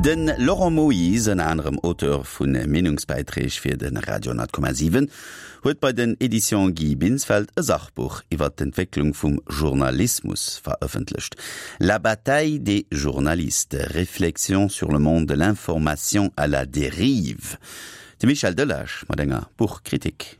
De Laurent Moyse, ënner anerem Auteur vu Meenungsbäiträg fir de Radio 10,7, huet bei den Editions Guy Binsfeld e Sachbuch iwwer d'Entwécklung vum Journalismus verëffentlecht. La bataille des journalistes, réflexions sur le monde de l'information à la dérive. De Michel Delage mat enger Buchkritik.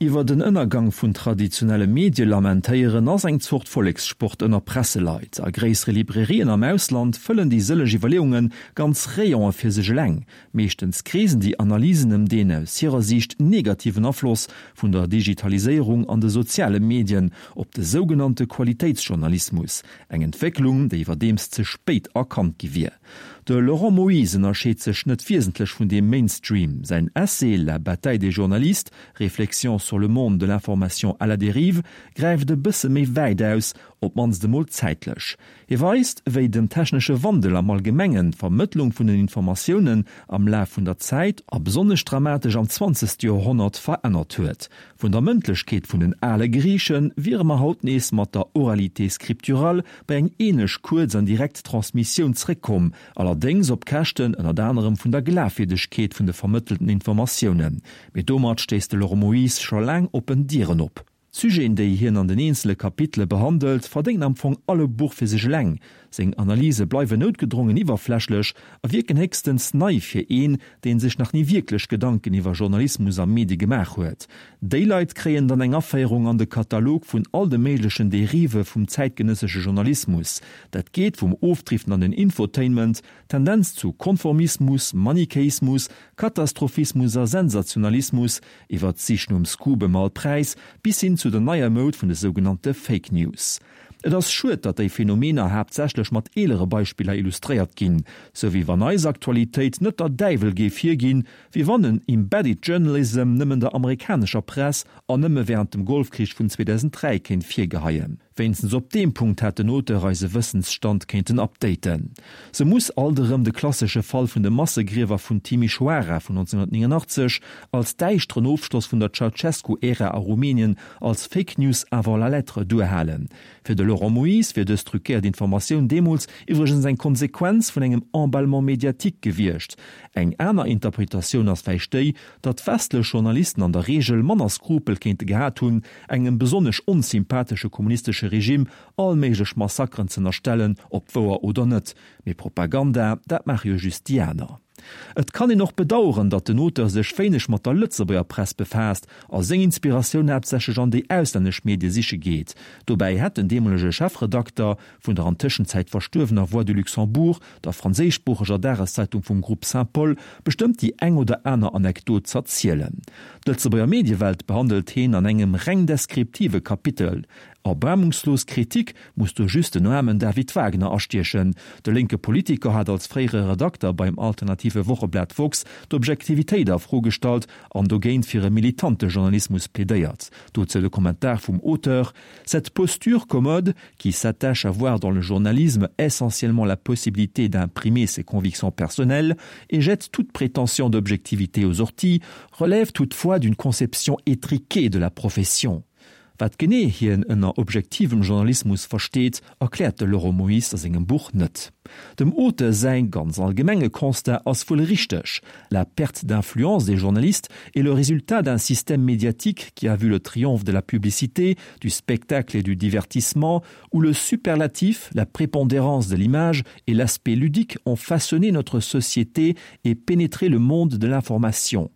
Iwwer den Ënnergang vun traditionelle Medie lamentéieren ass eng Zort Vollekssport ënner Presseleit. A gréissere Librairien am Ausland fëllen déi sëlleg Iwwerleeunge ganz Rayone fir sech eleng. Meeschtens kreesen déi Analysen ëm deen aus hirer Siicht negativen Afloss vun der Digitaliséierung an de soziale Medien op de sougenannte Qualitéitsjournalismus, eng Entwécklung, déi iwwerdeems ze spéit erkannt gi wier. De Laurent Moyse ënnerscheet sech net wiesentlech vun deem Mainstream. Säin Essai La bataille des journalistes, réflexions sur le monde de l'information à la dérive gräift e bësse méi wäit aus, op d'mannst emol zäitlech. Hie weist, wéi den technesche Wandel am Allgemengen d'Vermëttlung vun den Informatiounen am Laf vun der Zäit, a besonnesch dramatesch am zwanzegste Joerhonnert, verännert huet. Vun der Mëndlechkeet vun den ale Griiche wiere mer haut nees mat der Oralité scripturale bei eng ähnlech kuerz an direkt Transmissioun zréckkomm, allerdéngs op Käschten ënnert anerem vun der Glafwierdegkeet vun de vermëttelten Informatiounen. Mee domat stéisst de Laurent Moyse scho laang oppen Dieren op. D'Sujeten, déi hien an den eenzele Kapitele behandelt, verdéngen am Fong all e Buch fir sech eleng. Seng Analyse bleiwen noutgedrongen iwwerflächlech a wierken héchstens nei fir een, deen sech nach ni wierklech Gedanken iwwer Journalismus a Medie gemaach huet. Déi Leit kréien dann eng Aféierung an de Katalog vun all de méiglechen Derive vum zäitgenëssesche Journalismus. Dat geet vum Ofdriften an den Infotainment, Tendenz zu Konformismus, Manichäismus, Katastrophismus a Sensationalismus, iwwer d'Sich nom Scoop ëm all Präis, bis hin zu der neier Moud vun de sougenannte Fake News. Et ass schued, datt déi Phänomener haaptsächlech mat eelere Beispiller illustréiert ginn, sou wéi wann eis Aktualitéit net der Däiwel géif hierginn, wéi wann en Embedded Journalism nëmmen der amerikanescher Press an nëmme wärend dem Golfkrich vun 2003 kéint virgeheien. Wéinstens op deem Punkt hätt den Auteur eise Wëssensstand kéinten updaten. Se muss alt erëm de klassesche Fall vun de Massegriewer vun Timișoara vun 1989 als däischteren Ofschloss vun der Ceaușescu-Ära a Rumänien als Fake News avant la lettre duerhalen. Fir de Laurent Moyse wier dës truquéiert Informatioun deemools iwwregens eng Konsequenz vun engem Emballement médiatique gewiescht. Eng aner Interpretatioun ass vläicht déi, datt westlech Journalisten an der Reegel manner Skrupel kéinte gehat hunn, engem besonnesch onsympathesche kommunistesche Regime all méiglech Massakeren z'ënnerstellen, ob wouer oder net. Mee Propaganda, dat maache jo just déi aner. Et kann een och bedaueren, datt den Auteur sech wéineg mat der Lëtzebuerger Press befaasst a seng Inspiratioun haaptsächlech an déi auslännesch Medie siche geet. Dobäi hätt den deemolege Chefredakter vun der an Tëschenzäit verstuerwener Voix du Luxembourg, der franséischsproocheger Dageszeitung vum Groupe Saint-Paul, bestëmmt déi eng oder aner Anekdot z'erzielen. D'Lëtzebuerger Mediewelt behandelt heen an engem reng deskriptive Kapitel. Erbaarmungslos Kritik muss do just den aarmen David Wagner astiechen. De lénke Politiker hat als fréiere Redakter beim alternative Wocheblat woxx d'Objektivitéit a Fro gestallt an dogéint fir e militante Journalismus plädéiert. Dozou de Kommentar vum Auteur, Cette posture commode, qui s'attache à voir dans le journalisme essentiellement la possibilité d'imprimer ses convictions personnelles et jette toute prétention d'objectivité aux orties, relève toutefois d'une conception étriquée de la profession. Wat genee hien ënner objektivem Journalismus versteet, erkläert de Laurent Moyse a sengem Buch net. Dem Auteur säi ganz allgemenge Constat ass wuel richteg, La perte d'influence des journalistes est le résultat d'un système médiatique qui a vu le triomphe de la publicité, du spectacle et du divertissement, où le superlatif, la prépondérance de l'image et l'aspect ludique ont façonné notre société et pénétré le monde de l'information.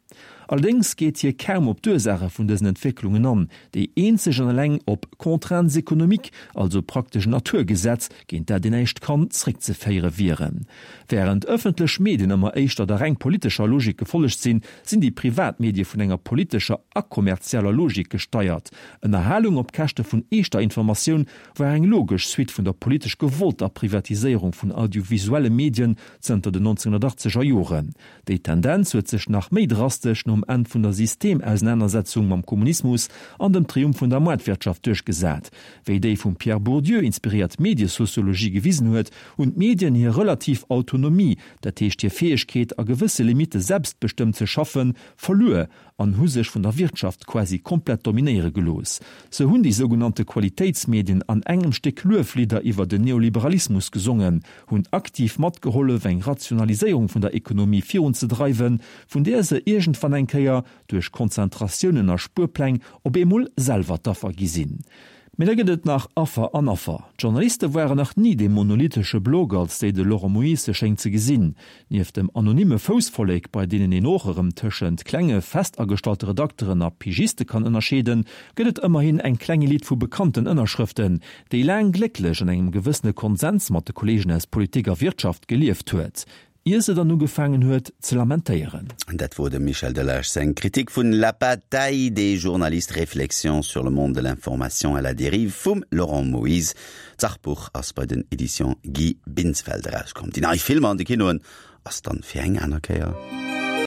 Allerdéngs geet hie kaum op d'Ursaache vun dësen Entwécklungen an, déi eenzeg an eleng op Contraintes économiques, also praktesch en Naturgesetz, géint dat een näischt kann, zréckzeféiere wieren. Wärend ëffentlech Medien ëmmer éischter der reng politescher Logik gefollegt sinn, sinn déi privat Medie vun enger politescher a kommerzieller Logik gesteiert. Ënnerhalung op Käschte vun eeschter Informatioun war eng logesch Suite vun der politesch gewollter Privatiséierung vun audiovisuelle Medien zënter den 1980er Joren. Déi Tendenz huet sech nach méi drastesch nom. nom Enn vun der Systemausenanersetzung mam Kommunismus an dem Triumph vun der Moartwirtschaft duerchgesat. Wéi déi vum Pierre Bourdieu inspiréiert Mediesociologie gewisen huet, hunn d'Medien hir relativ Autonomie, dat heescht hir Fäegkeet, a gewësse Limitte selbstbestëmmt ze schaffen, verluer an hu sech vun der Wirtschaft quasi komplett dominéiere gelooss. Sou hunn déi sougenannte Qualitéitsmedien an engem Stéck Lueflidder iwwer den Neoliberalismus gesongen, hunn aktiv matgehollef eng Rationaliséierung vun der Ekonomie virunzedreiwen, vun där se iergendwann eng Kéier duerch Konzentratiounen a Spuerpläng op eemol selwer d'Affer gi sinn. Mee da gëtt et nach Affer an Affer. D'Journaliste waren nach ni dee monolithesche Block, als déi de Laurent Moyse se schéngt ze gesinn. Nieft dem anonyme Foussvollek, bei deenen een och erëm tëschent klenge festagestallte Redakteren a Pigiste kann ënnerscheeden, gëtt et ëmmerhin eng kleng Elite vu bekannten Ënnerschrëften, déi laang glécklech an engem gewëssene Konsens mat de Kolleegen aus Politik a Wirtschaft gelieft huet. Ier se dann ugefaangen huet ze lamentéieren. Dat wor dem Michel Delage seng Kritik vun La bataille des journalistes, réflexions sur le monde de l'information à la dérive vum Laurent Moyse. D'Sachbuch ass bei den Editions Guy Binsfeld erauskomm. Déi nei Filmer an de Kinoen ass dann fir eng aner Kéier.